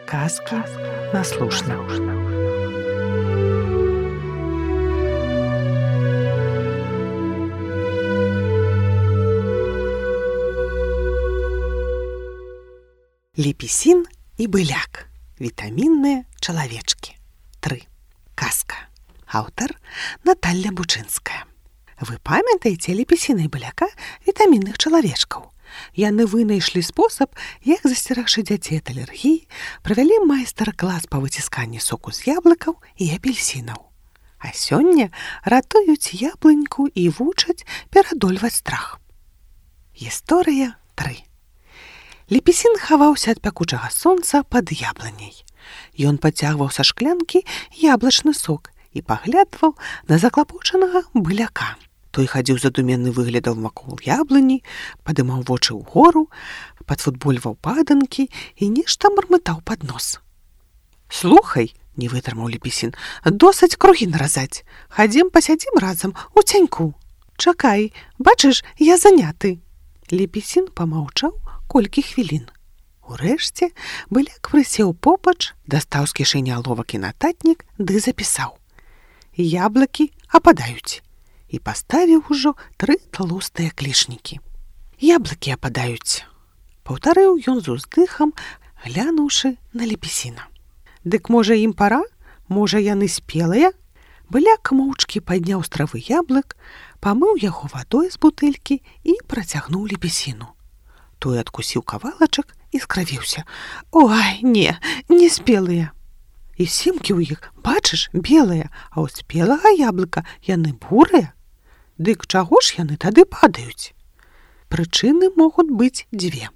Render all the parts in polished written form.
Сказки на слушна. Лепесін і быляк. Вітамінныя чалавечкі. 3. Казка. Аўтар Наталья Бучынская. Вы памятаеце лепесіна і быляка вітамінных чалавечкаў? Яны вынайшлі спосаб, як засцерагчы дзяцей ад алергіі, правялі майстар-клас па выцісканні соку з яблыкаў і апельсінаў. А сёння ратуюць яблыньку і вучаць перадольваць страх. Гісторыя 3. Лепесін хаваўся ад пякучага сонца пад яблыняй. Ён пацягваў са шклянкі яблычны сок і паглядваў на заклапочанага быляка. Той хадзіў задуменны выглядаў вакол яблыні, падымаў вочы ўгору, падфутбольваў паданкі і нешта мармытаў пад нос. «Слухай», — не вытрымаў лепесін, — «досыць кругі наразаць. Хадзім пасядзім разам у цяньку». «Чакай, бачыш, я заняты». Лепесін памаўчаў колькі хвілін. Урэшце быляк прысеў побач, дастаў з кішэні аловак і нататнік ды запісаў: «Яблыкі ападаюць». І паставіў ужо 3 тлустыя клішнікі. «Яблыкі ападаюць», — паўтарыў ён з уздыхам, глянуўшы на лепесіна. «Дык, можа, ім пара? Можа, яны спелыя?» Быляк моўчкі падняў з травы яблык, памыў яго вадой з бутэлькі і працягнуў лепесіну. Той адкусіў кавалачак і скравіўся. «Ой, не спелыя. І семкі ў іх, бачыш, белыя, а ў спелага яблыка яны бурыя. Дык чаго ж яны тады падаюць?» «Прычыны могуць быць 2.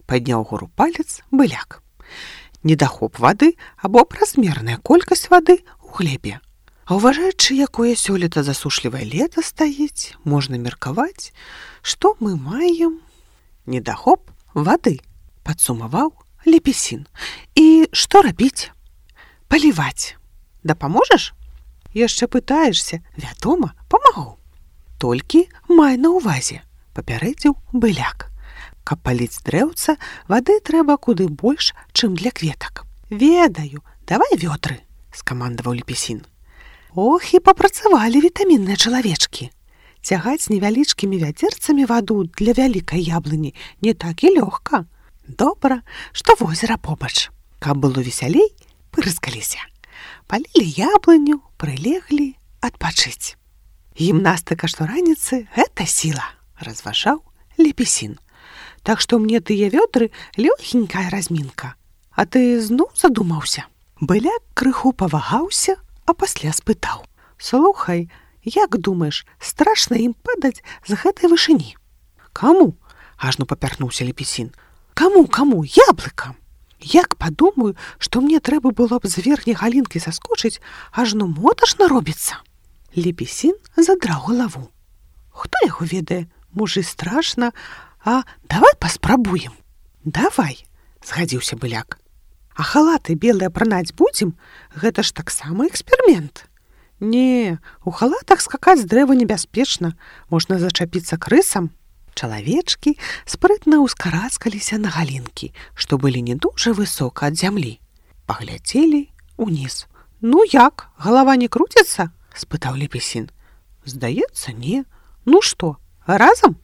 Падняў гору палец быляк. «Недахоп вады або празмерная колькасць вады ў глебе. А ўважаючы, якое сёлета засушлівае лета стаіць, можна меркаваць, што мы маем недахоп вады», — падсумаваў лепесін. «І што рабіць?» «Паліваць. Дапаможаш?» «Яшчэ пытаешся? Вядома, памагу. Толькі май на ўвазе», — папярэдзіў быляк. «Каб паліць дрэўца, вады трэба куды больш, чым для кветак». «Ведаю, давай вёдры», — скамандаваў лепесін. Ох, і папрацавалі вітамінныя чалавечкі. Цягаць невялічкімі вядзерцамі ваду для вялікай яблыні не так і лёгка. Добра, што возера побач. Каб было весялей, пырскаліся. Палілі яблыню, прылеглі адпачыць. «Гімнастыка штораніцы — гэта сіла», — разважаў лепесін. «Так што мне тыя вёдры лёгенькая размінка. А ты зноў задумаўся?» Быляк крыху павагаўся, а пасля спытаў: «Слухай, як думаеш, страшна ім падаць з гэтай вышыні?» «Каму?» — ажно папярнуўся лепесін. «Каму, яблыкам? Як падумаю, што мне трэба было б з верхняй галінкі саскочыць, ажно моташна робіцца». Лепесін задраў галаву. «Хто яго ведае? Можа, і страшна, а давай паспрабуем». «Давай», — згадзіўся быляк. «А халаты белыя пранаць будзем? Гэта ж таксама эксперымент». «Не, у халатах скакаць з дрэва небяспечна, можна зачапіцца крысам». Чалавечкі спрытна ўскарацкаліся на галінкі, што былі не дужа высока ад зямлі. Паглядзелі ўніз. «Ну як, галава не круціцца?» — спытаў лепесін. «Здаецца, не. Ну што, разам?»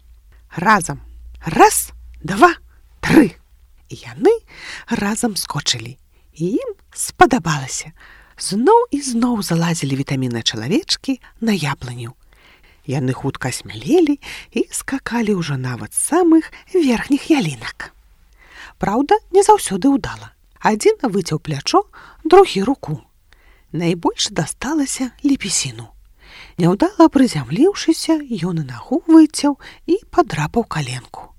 «Разам. Раз, 2, 3». І яны разам скочылі. І ім спадабалася. Зноў і зноў залазілі вітамінныя чалавечкі на яблыню. Яны хутка смялелі і скакалі ўжо нават з самых верхніх ялінак. Праўда, не заўсёды ўдала. Адзін выцяў плячо, другі руку. Найбольш дасталася лепесіну. Няўдала прызямліўшыся, ён і нагу выцяў і падрапаў каленку.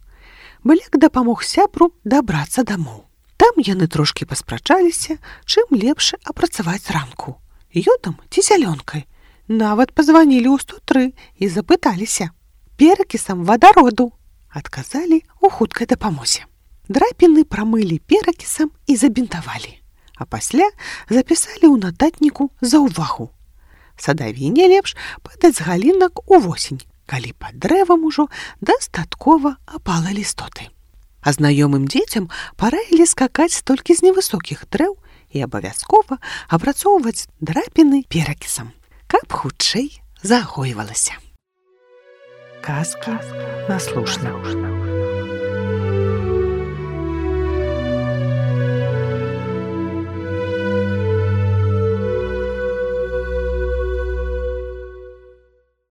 Быляк дапамог сябру дабрацца дамоў. Там яны трошкі паспрачаліся, чым лепш апрацаваць ранку. Ёдам ці зялёнкай. Нават пазванілі ў 103 і запыталіся. «Перакісам вадароду», — адказалі ў хуткай дапамозе. Драпіны прамылі перакісам і забінтавалі. А пасля запісалі ў нататніку за ўвагу. Садавіне лепш падаць з галінак увосень, калі пад дрэвам ужо дастаткова апала лістоты. А знаёмым дзецям параілі скакаць толькі з невысокіх дрэў і абавязкова апрацоўваць драпіны перакісам, каб хутчэй загойвалася. Казкі на слушна.